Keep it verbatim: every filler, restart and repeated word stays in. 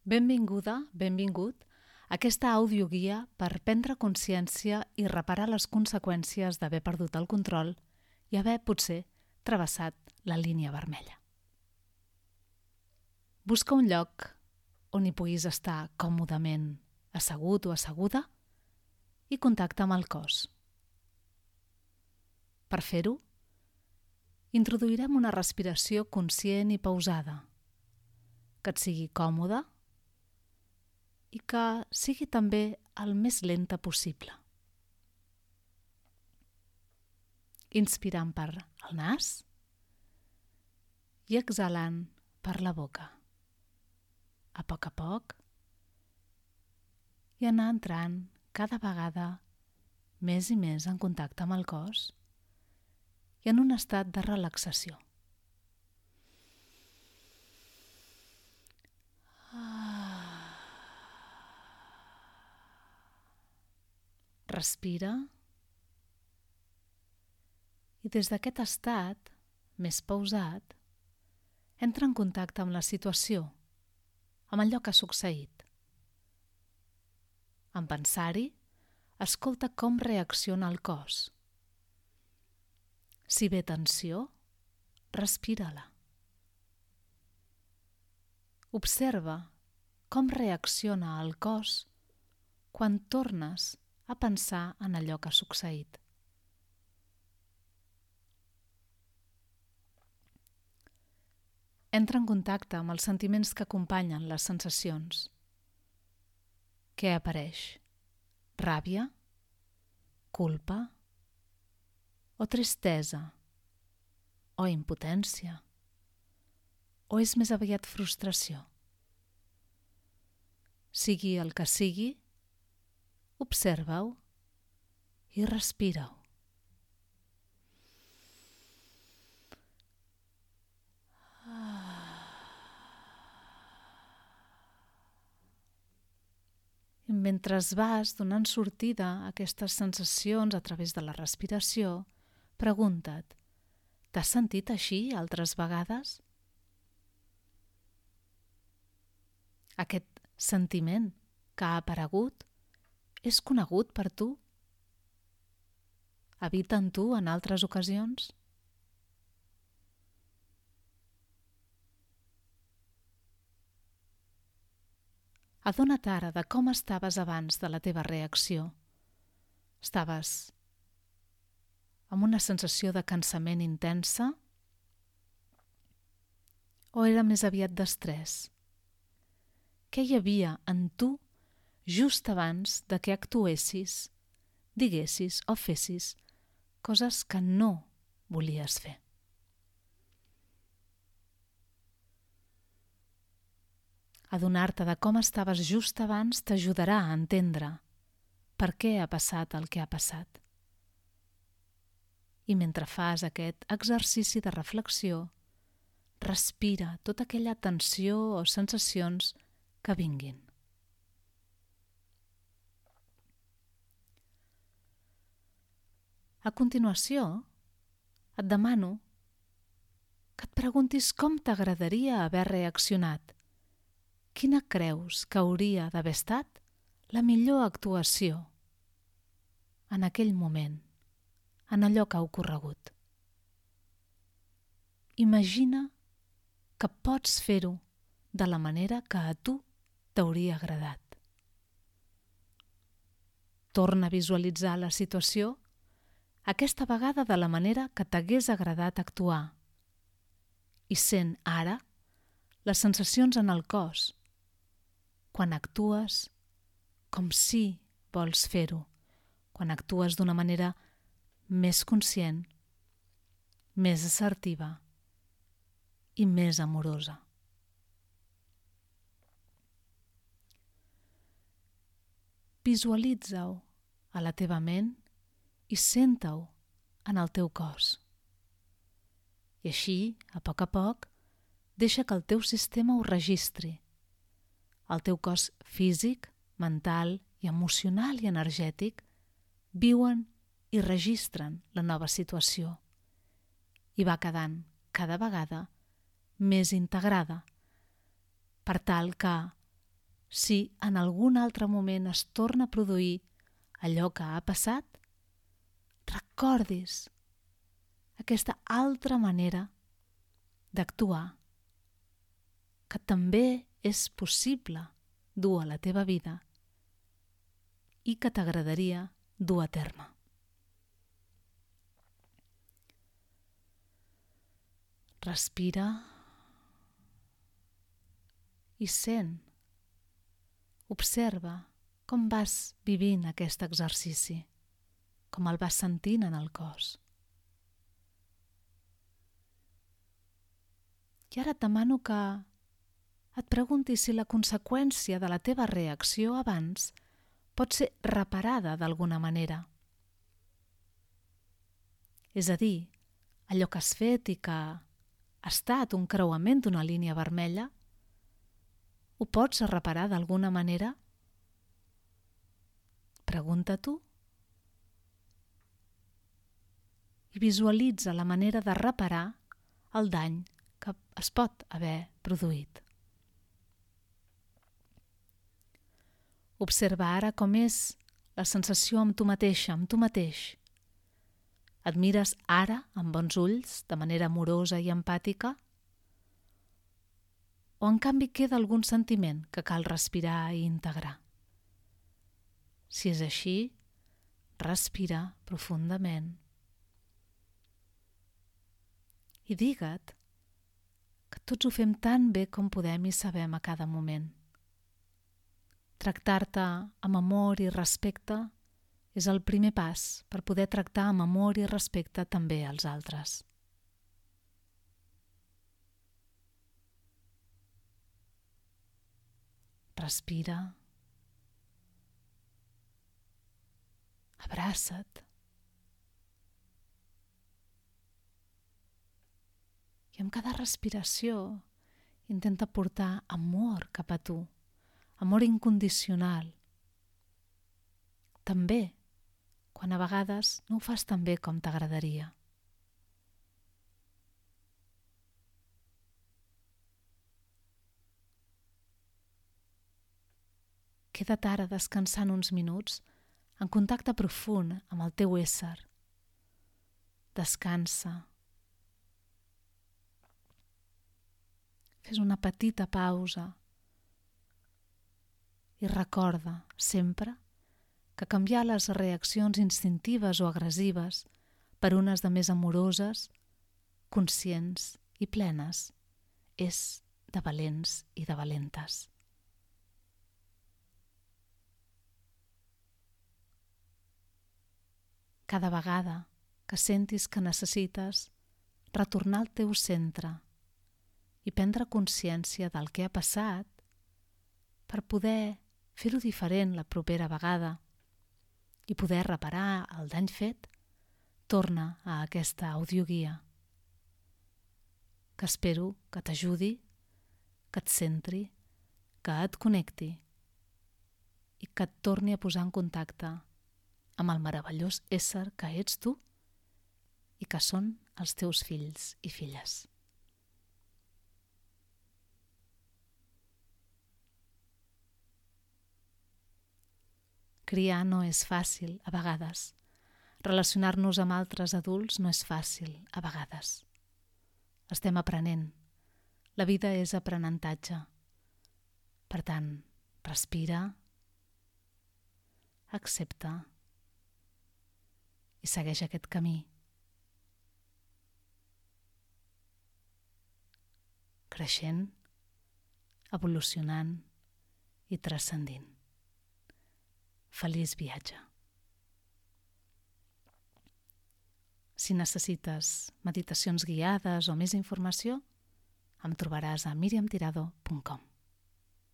Benvinguda, benvingut a aquesta audioguia per prendre consciència i reparar les conseqüències d'haver perdut el control i haver, potser, travessat la línia vermella. Busca un lloc on hi puguis estar còmodament assegut o asseguda i contacta amb el cos. Per fer-ho, introduirem una respiració conscient i pausada, que et sigui còmoda i que sigui també el més lenta possible. Inspirant per el nas i exhalant per la boca. A poc a poc i anar entrant cada vegada més i més en contacte amb el cos i en un estat de relaxació. Respira i des d'aquest estat més pausat entra en contacte amb la situació, amb allò que ha succeït. En pensar-hi, escolta com reacciona el cos. Si ve tensió, respira-la. Observa com reacciona el cos quan tornes a pensar en allò que ha succeït. Entra en contacte amb els sentiments que acompanyen les sensacions. Què apareix? Ràbia? Culpa? O tristesa? O impotència? O és més aviat frustració? Sigui el que sigui, observa-ho i respira-ho. I mentre vas donant sortida a aquestes sensacions a través de la respiració, pregunta't, t'has sentit així altres vegades? Aquest sentiment que ha aparegut és conegut per tu? Habita en tu en altres ocasions? Adona't ara de com estaves abans de la teva reacció. Estaves amb una sensació de cansament intensa o era més aviat d'estrès? Què hi havia en tu just abans de que actuessis, diguessis o fessis coses que no volies fer? Adonar-te de com estaves just abans t'ajudarà a entendre per què ha passat el que ha passat. I mentre fas aquest exercici de reflexió, respira tota aquella tensió o sensacions que vinguin. A continuació, et demano que et preguntis com t'agradaria haver reaccionat. Quina creus que hauria d'haver estat la millor actuació en aquell moment, en allò que ha ocorregut? Imagina que pots fer-ho de la manera que a tu t'hauria agradat. Torna a visualitzar la situació, aquesta vegada de la manera que t'hagués agradat actuar, i sent ara les sensacions en el cos, quan actues com si vols fer-ho, quan actues d'una manera més conscient, més assertiva i més amorosa. Visualitza-ho a la teva ment i senta-ho en el teu cos. I així, a poc a poc, deixa que el teu sistema ho registri. El teu cos físic, mental i emocional i energètic viuen i registren la nova situació i va quedant cada vegada més integrada per tal que si en algun altre moment es torna a produir allò que ha passat, recordis aquesta altra manera d'actuar que també és possible dur a la teva vida i que t'agradaria dur a terme. Respira i sent, observa com vas vivint aquest exercici, com el vas sentint en el cos. I ara et demano que et preguntis si la conseqüència de la teva reacció abans pot ser reparada d'alguna manera. És a dir, allò que has fet i que ha estat un creuament d'una línia vermella, ho pots reparar d'alguna manera? Pregunta-t'ho i visualitza la manera de reparar el dany que es pot haver produït. Observa ara com és la sensació amb tu mateixa, amb tu mateix. Et mires ara amb bons ulls, de manera amorosa i empàtica? O en canvi queda algun sentiment que cal respirar i integrar? Si és així, respira profundament i digue't que tots ho fem tan bé com podem i sabem a cada moment. Tractar-te amb amor i respecte és el primer pas per poder tractar amb amor i respecte també als altres. Respira. Abraça't. I amb cada respiració intenta portar amor cap a tu, amor incondicional. També quan a vegades no ho fas tan bé com t'agradaria. Queda't ara descansant uns minuts en contacte profund amb el teu ésser. Descansa. Fes una petita pausa i recorda sempre que canviar les reaccions instintives o agressives per unes de més amoroses, conscients i plenes és de valents i de valentes. Cada vegada que sentis que necessites retornar al teu centre i prendre consciència del que ha passat per poder fer-ho diferent la propera vegada i poder reparar el dany fet, torna a aquesta audioguia que espero que t'ajudi, que et centri, que et connecti i que et torni a posar en contacte amb el meravellós ésser que ets tu i que són els teus fills i filles. Criar no és fàcil, a vegades. Relacionar-nos amb altres adults no és fàcil, a vegades. Estem aprenent. La vida és aprenentatge. Per tant, respira, accepta i segueix aquest camí. Creixent, evolucionant i transcendint. Feliç viatge. Si necessites meditacions guiades o més informació, em trobaràs a miriam tirado punt com.